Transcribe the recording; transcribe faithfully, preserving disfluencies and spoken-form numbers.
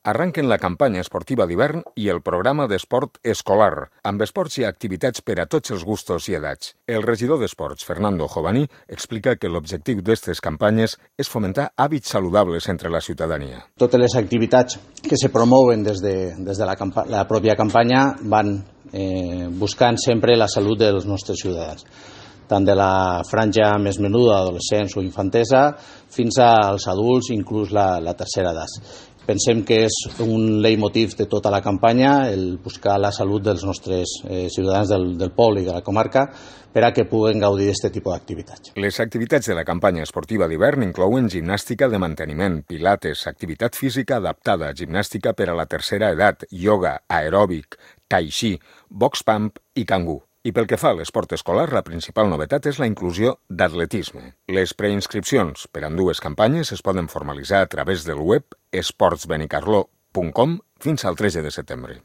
Arranquen la campanya esportiva d'hivern i el programa d'esport escolar, amb esports i activitats per a tots els gustos i edats. El regidor d'Esports, Fernando Jovaní, explica que l'objectiu d'aquestes campanyes és fomentar hàbits saludables entre la ciutadania. Totes les activitats que se promouen des de, des de la, la pròpia campanya van eh, buscant sempre la salut dels nostres ciutadans, tant de la franja més menuda, adolescents o infantesa, fins als adults, inclús la, la tercera edat. Pensem que és un leitmotiv de tota la campanya el buscar la salut dels nostres eh, ciutadans del, del poble i de la comarca per a que puguen gaudir d'aquest tipus d'activitats. Les activitats de la campanya esportiva d'hivern inclouen gimnàstica de manteniment, pilates, activitat física adaptada, gimnàstica per a la tercera edat, ioga, aeròbic, tai chi, box pump i cangú. I pel que fa a l'esport escolar, la principal novetat és la inclusió d'atletisme. Les preinscripcions per a ambdues campanyes es poden formalitzar a través del web esports benicarló punt com fins al tretze de setembre.